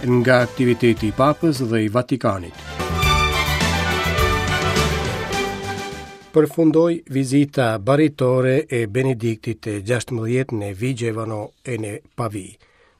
Nga aktiviteti i Papës dhe i Vatikanit. Përfundoi vizita baritore e Benediktit të 16 në Vigevano e në Pavi.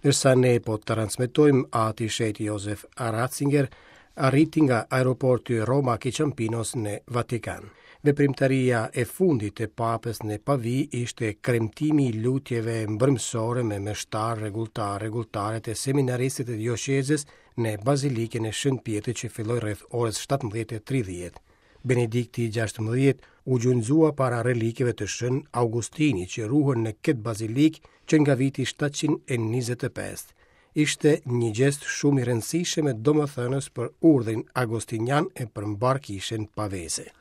Ndërsa ne po transmetojmë Ati i Shenjtë Josef Ratzinger arriti nga aeroporti Roma Ciampinos në Vatikan. Veprimtaria e fundit e Papës në Pavi ishte kremtimi i lutjeve mbrëmësore me meshtarë, rregulltarë, rregulltaret e seminaristët e dioqezës në Bazilikën e Shën Pjetrit që filloi rreth orës 17:30. Benedikti i 16 u gjunjëzua para relikeve të Shën Augustinit që ruhen në këtë bazilikë që nga viti 725. Ishte një gjest shumë i rëndësishëm e domethënës për urdhrin agostinian e për mbarë kishën paveze.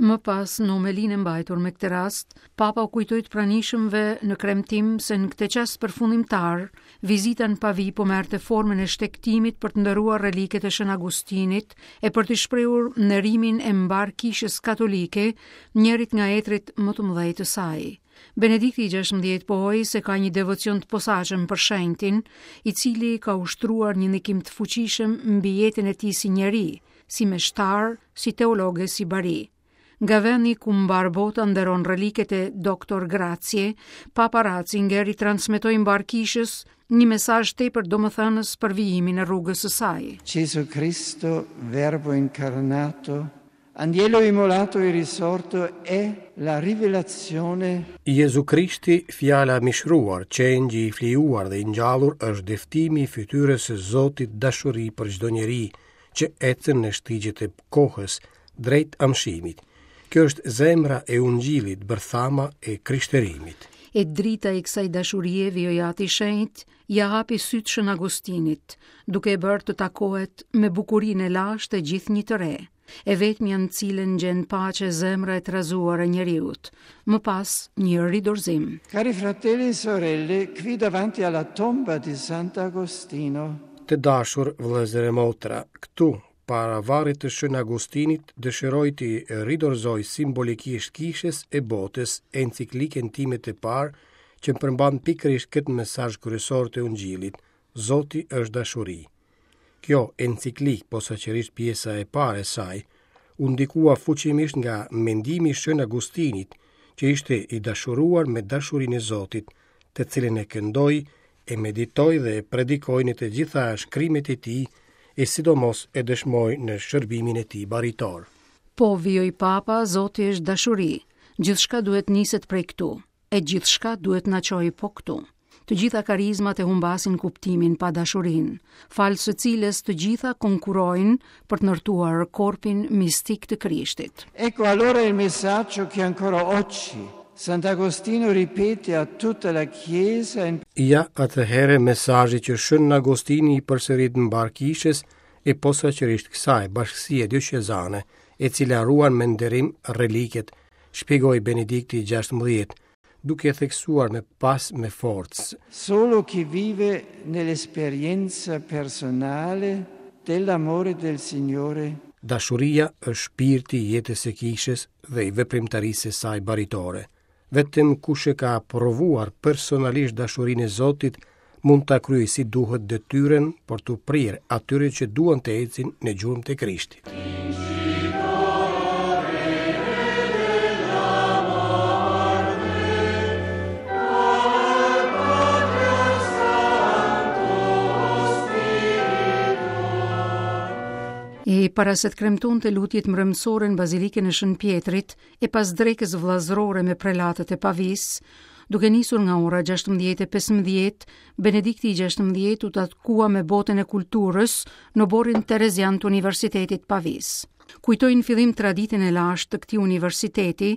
Më pas, në homelinë e mbajtur me këtë rast, Papa u kujtoi të pranishëmve në kremtim se në këtë çast përfundimtar, vizita në Pavi po merrte formën e shtegtimit për të nderuar reliket e Shën Agustinit e për të shprehur nderimin e mbarë kishës katolike, njërit nga etërit më të mëdhenj të saj. Benedikti i 16 pohoi se ka një devocion të posaçëm për shenjtin, i cili ka ushtruar një ndikim të fuqishëm mbi jetën e tij si njeri, si meshtar, si teolog e si bari. Nga vendi ku mbarë bota nderon reliket e Doctor Gratiae, Papa Ratzinger i transmetoi mbarë kishës një mesazh tepër domethënës për vijimin e rrugës së saj. Gesù Cristo, Verbo incarnato, Agnello immolato e risorto è la rivelazione. Jezu Krishti, fjala e mishëruar, qengji i flijuar dhe i ngjallur është dëftimi i fytyrës së Zotit dashuri për çdo njeri, që ecën në shtigjet e kohës drejt amshimit. Kjo është zemra e ungjillit, bërthama e krishterimit. E drita e kësaj dashurie, vijoi Ati i Shenjtë, ia hapi sytë Shën Agustinit, duke e bërë të takohet me bukurinë e lashtë e gjithnjë të re, e vetmja në cilën gjen paqe zemra e trazuar e njeriut. Më pas, një ridorzim. Cari fratelli e sorelle, qui davanti alla tomba di Sant'Agostino. Të dashur vëllezër e motra, këtu, para varrit të Shën Agustinit, dëshiroj t'i ridorzoj simbolikisht kishës e botës enciklikën time të parë që përmban pikërisht këtë mesazh kryesor të Ungjillit, Zoti është dashuri. Kjo enciklikë, posaçërisht pjesa e parë e saj, u ndikua fuqimisht nga mendimi i Shën Agustinit, që ishte i dashuruar me dashurinë e Zotit, të cilën e këndoi, e meditoi dhe e predikoi në të gjitha shkrimet e tij e sidomos e dëshmoi në shërbimin e tij baritor. Po, vijoi Papa, Zoti është dashuri. Gjithçka duhet niset prej këtu. E gjithçka duhet na çojë po këtu. Të gjitha karizmat e humbasin kuptimin pa dashurinë, falë së cilës të gjitha konkurrojnë për të ndërtuar korpin mistik të Krishtit. Ecco allora il messaggio che ancora oggi Sant'Agostino ripete a tutta la Chiesa in Ja atëherë mesazhi që Shën Agostini i përsërit mbarë kishës e posaçërisht kësaj bashkësie dioqezane, e cila ruan me nderim reliket shpjegoi Benedikti i 16, duke theksuar më pas me forcë. Solo chi vive nell'esperienza personale dell'amore del Signore. Dashuria është shpirti i jetës së kishës dhe i veprimtarisë së saj baritore. Vetëm kush e ka provuar personalisht dashurinë e Zotit mund ta kryejë si duhet detyrën për t'u prirë atyre që duan të ecin në gjurmët e Krishtit. E para se të kremtonte lutjet mbrëmësore në Bazilikën e Shën Pjetrit, e pas drekës vëllazërore me prelatët e Pavisë, duke nisur nga ora 16:15, Benedikti i 16 u takua me botën e kulturës në oborrin Terezian të Universitetit Pavisë. Kujtoi në fillim traditën e lashtë të këtij universiteti,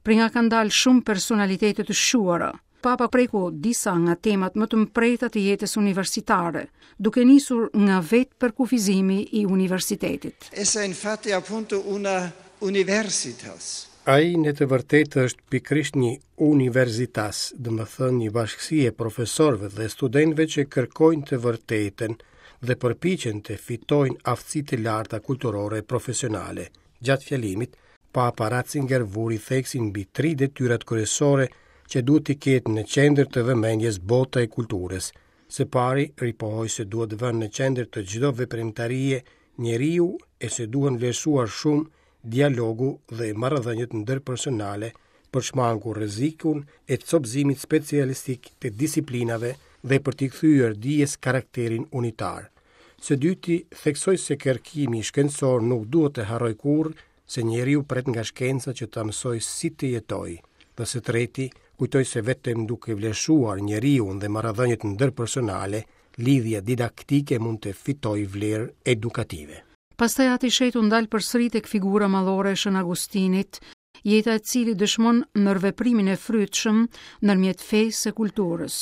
prej nga kanë dalë shumë personalitete të shquara. Papa preku disa nga temat më të mprehta të jetës universitare, duke nisur nga vetë përkufizimi i universitetit. Essa infatti appunto una universitas. Ai në të vërtetë është pikërisht një universitas, domethënë një bashkësi e profesorëve dhe studentëve që kërkojnë të vërtetën dhe përpiqen të fitojnë aftësi të larta kulturore e profesionale. Gjatë fjalimit, Papa Ratzinger vuri theksin mbi tri detyrat kryesore që duhet t'i ketë në qendër të vëmendjes bota e kulturës. Së pari, ripohoi se duhet vënë në qendër të çdo veprimtarie njeriu e se duhen vlerësuar shumë dialogu dhe marrëdhëniet ndërpersonale për shmangur rrezikun e copëzimit specialistik të disiplinave dhe për t'i kthyer dijes karakterin unitar. Së dyti, theksoi se kërkimi shkencor nuk duhet të harrojë kurrë se njeriu pret nga shkenca që ta mësojë si të jetojë. Dhe së treti, kujtoi se vetëm duke vlerësuar njeriun dhe marrëdhëniet ndërpersonale, lidhja didaktike mund të fitojë vlerë edukative. Pastaj Ati i Shenjtë u ndal përsëri tek figura madhore e Shën Agustinit, jeta e të cilit dëshmon ndërveprimin e frytshëm ndërmjet fesë e kulturës.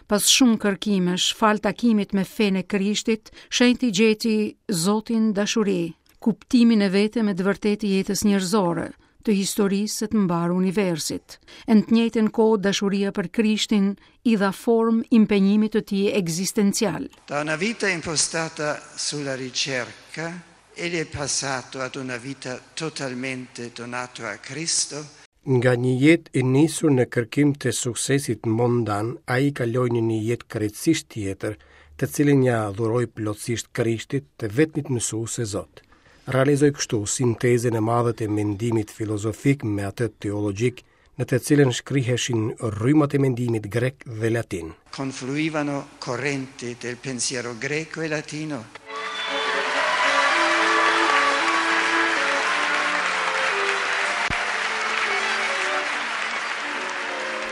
Pas shumë kërkimesh, falë takimit me fenë e Krishtit, shenjti gjeti Zotin dashuri, kuptimin e vetëm e të vërtetë të jetës njerëzore, të historisë e të mbarë universit. E në të njëjtën kohë dashuria për Krishtin i dha formë impenjimit të tij ekzistencial. Da una vita impostata sulla ricerca, egli è passato ad una vita totalmente donato a Cristo. Nga një jetë e nisur në kërkim të suksesit mondan, ai kaloi në një jetë krejtësisht tjetër, të cilën ia dhuroi plotësisht Krishtit, të vetmit mësues e Zot. Realizoi kështu sintezën e madhe të mendimit filozofik me atë teologjik, në të cilën shkriheshin rrymat e mendimit grek dhe latin. Confluivano correnti del pensiero greco e latino.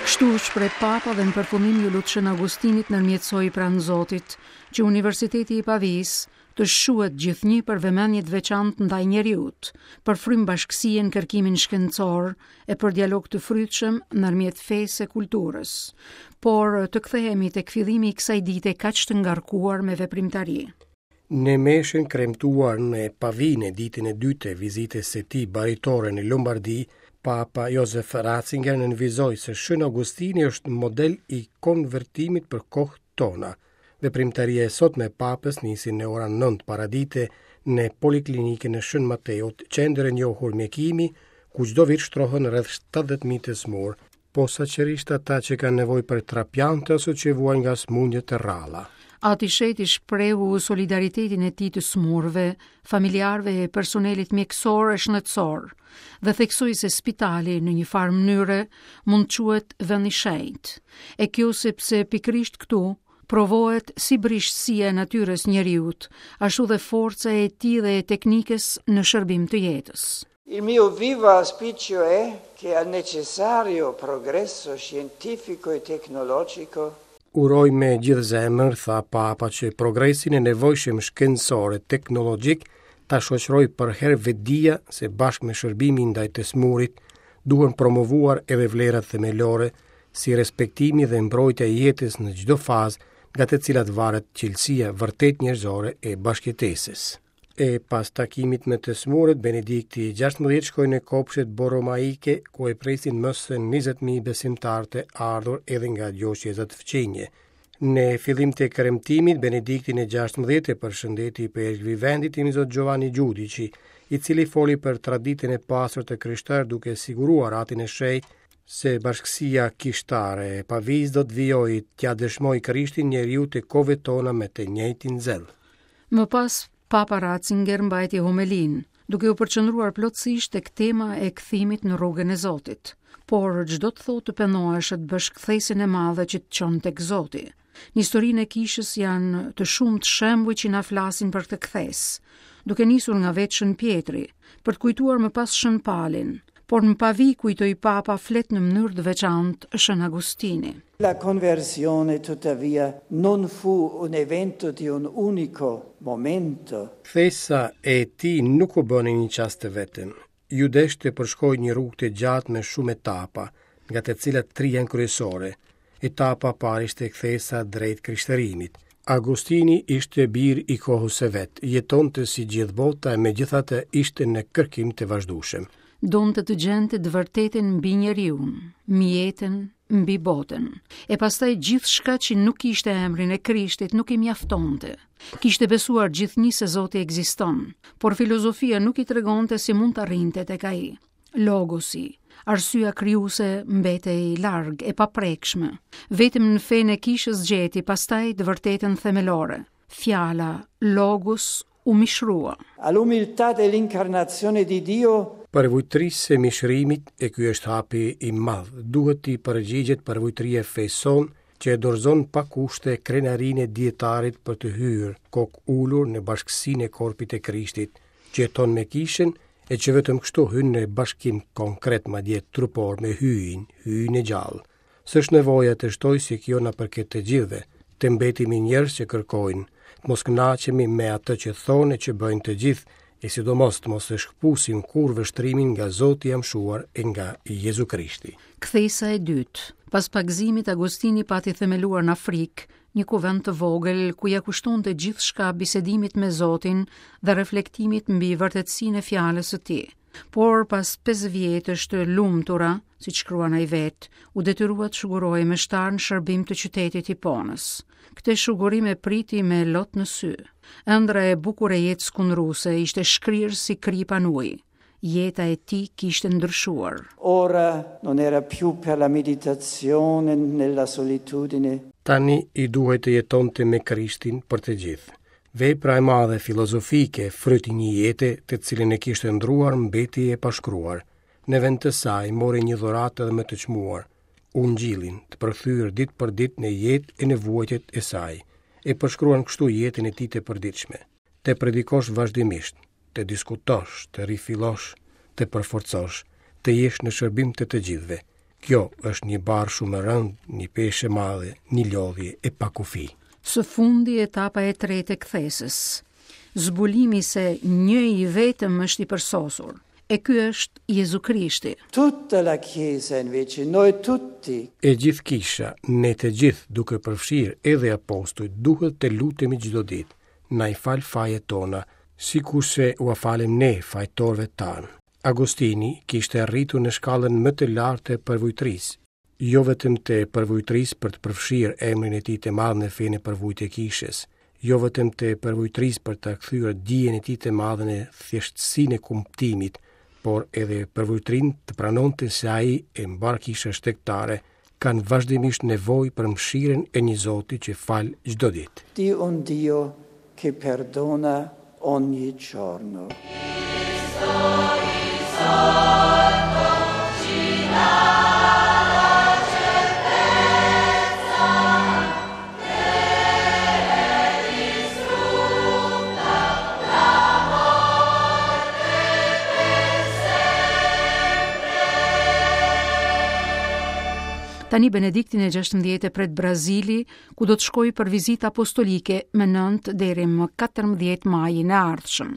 Kështu u shpreh Papa dhe në përfundim iu lut Shën Agustinit të ndërmjetësojë pranë Zotit, që Universiteti i Pavisë të shquhet gjithnjë për vëmendje të veçantë ndaj njeriut, për frymë bashkësie në kërkimin shkencor e për dialog të frytshëm ndërmjet fesë e kulturës. Por të kthehemi tek fillimi i kësaj dite kaq të ngarkuar me veprimtari. Në meshën kremtuar në Pavi në ditën e dytë të vizitës së tij baritore në Lombardi, Papa Josef Ratzinger nënvizoi se Shën Augustini është model i konvertimit për kohët tona. Veprimtaria e sotme e Papës nisi në ora 9 paradite në Poliklinikën e Shën Mateut, qendër e njohur mjekimi, ku çdo vit shtrohen rreth 70.000 të sëmurë, posaçërisht ata që kanë nevojë për trapiante ose që vuajnë nga sëmundje të rralla. Ati i Shenjtë i shprehu solidaritetin e tij të sëmurëve, familjarëve e personelit mjekësor e shëndetësor dhe theksoi se spitali në një farë mënyre mund të quhet vend i shenjtë. E kjo sepse pikërisht këtu provohet si brishtësia e natyrës njeriut, ashtu dhe forca e tij dhe e teknikës në shërbim të jetës. Il mio vivo auspicio è che al necessario progresso scientifico e tecnologico Uroj me gjithë zemër, tha Papa, që progresin e nevojshëm shkencor e teknologjik ta shoqërojë përherë vetëdija se bashkë me shërbimin ndaj të sëmurit duhen promovuar edhe vlerat themelore si respektimi dhe mbrojtja e jetës në çdo fazë nga të cilat varet cilësia vërtet njerëzore e bashkëjetesës. E pas takimit me të sëmurët, Benedikti i 16 shkoi në kopshtet Boromaike, ku e presin më se 20.000 besimtarë të ardhur edhe nga dioqezat fqinje. Në fillim të kremtimit, Benediktin e 16 e përshëndeti ipeshkvi i vendit Imzot Giovanni Giudici, i cili foli për traditën e pasur të krishterë duke siguruar Atin e Shenjtë se bashkësia kishtare e Pavisë do të vijojë t'ia dëshmojë Krishtin njeriut të kohëve tona me të njëjtin zell. Më pas, Papa Ratzinger mbajti homelinë, duke u përqendruar plotësisht tek tema e kthimit në rrugën e Zotit. Por ç'do të thotë të pendohesh e të bësh kthesën e madhe që të çon tek Zoti. Në historinë e kishës janë të shumtë shembujt që na flasin për këtë kthesë, duke nisur nga vetë Shën Pjetri, për të kujtuar më pas Shën Palin, por në Pavi kujtoi Papa flet në mënyrë të veçantë Shën Agustini. La conversione tuttavia non fu un evento di un unico momento. Kthesa e tij nuk u bë në një çast të vetëm. Iu desh të përshkojë një rrugë të gjatë me shumë etapa, nga të cilat tri janë kryesore. Etapa e parë ishte kthesa drejt krishterimit. Agustini ishte bir i kohës së vet, jetonte si gjithë bota e megjithatë ishte në kërkim të vazhdueshëm. Donte të gjente të vërtetën mbi njeriun, mbi jetën, mbi botën. E pastaj gjithçka që nuk kishte emrin e Krishtit nuk i mjaftonte. Kishte besuar gjithnjë se Zoti ekziston, por filozofia nuk i tregonte si mund të arrinte tek ai. Logosi. Arsyeja krijuese mbetej larg, e paprekshme. Vetëm në fenë e kishës gjeti pastaj të vërtetën themelore. Fjala logos u mishrua. All'umiltà dell'incarnazione di Dio Përvujtërisë së mishërimit, e ky është hapi i madh, duhet t'i përgjigjet përvujtëria e fesë sonë, që e dorëzon pa kushte krenarinë e dijetarit për të hyrë, kokë ulur në bashkësinë e korpit të Krishtit, që jeton me kishën e që vetëm kështu hyn në bashkim konkret madje trupor me Hyjin, Hyjin e gjallë. S'është nevoja të shtoj se kjo na përket të gjithëve, të mbetemi njerëz që kërkojnë, të mos kënaqemi me atë që thonë e që bëjnë të gjithë, e sidomos të mos e shkëpusim kurrë vështrimin nga Zoti i amshuar e nga Jezu Krishti. Kthesa e dytë. Pas pagëzimit, Agostini pati themeluar në Afrikë një kuvend të vogël ku ia kushtonte gjithçka bisedimit me Zotin dhe reflektimit mbi vërtetësinë e fjalës së tij. Por pas 5 vjetësh të lumtura, siç shkruan ai vetë, u detyrua të shugurohej meshtar në shërbim të qytetit Hiponës. Këtë shugurim e priti me lot në sy. Ëndrra e bukur e jetës kundruse ishte shkrirë si kripa në ujë. Jeta e tij kishte ndryshuar. Ora non era più per la meditazione nella solitudine. Tani i duhej të jetonte me Krishtin për të gjithë. Vepra e madhe filozofike, fryt i një jete, të cilën e kishte ëndërruar, mbeti e pashkruar. Në vend të saj mori një dhuratë edhe më të çmuar, Ungjillin, të përkthyer ditë për ditë në jetë e në vuajtjet e saj. E përshkruan kështu jetën e tij të përditshme. Të predikosh vazhdimisht, të diskutosh, të rifillosh, të përforcosh, të jesh në shërbim të të gjithëve. Kjo është një barrë shumë e rëndë, një peshë e madhe, një lodhje e pakufi. Së fundi etapa e tretë e kthesës. Zbulimi se një i vetëm është i përsosur, e ky është Jezu Krishti. Tutta la Chiesa invece, noi tutti. E gjithë kisha, ne të gjithë, duke përfshirë edhe apostujt, duhet të lutemi çdo ditë. Na i fal fajet tona, sikurse ua falim ne fajtorëve tanë. Agostini kishte arritur në shkallën më të lartë të përvujtërisë, jo vetëm të përvujtërisë për të përfshirë emrin e tij të madh në fenë e përvujtë e kishës, jo vetëm të përvujtërisë për të kthyer dijen e tij të madhe në thjeshtësinë e kuptimit, por edhe përvujtërinë të pranonte se ai e mbarë kisha shtegtare kanë vazhdimisht nevojë për mëshirën e një Zoti që fal çdo ditë. Di un Dio che perdona ogni giorno. Tani Benediktin e 16 e pret Brazili, ku do të shkojë për vizitë apostolike më 9 deri më 14 majin e ardhshëm.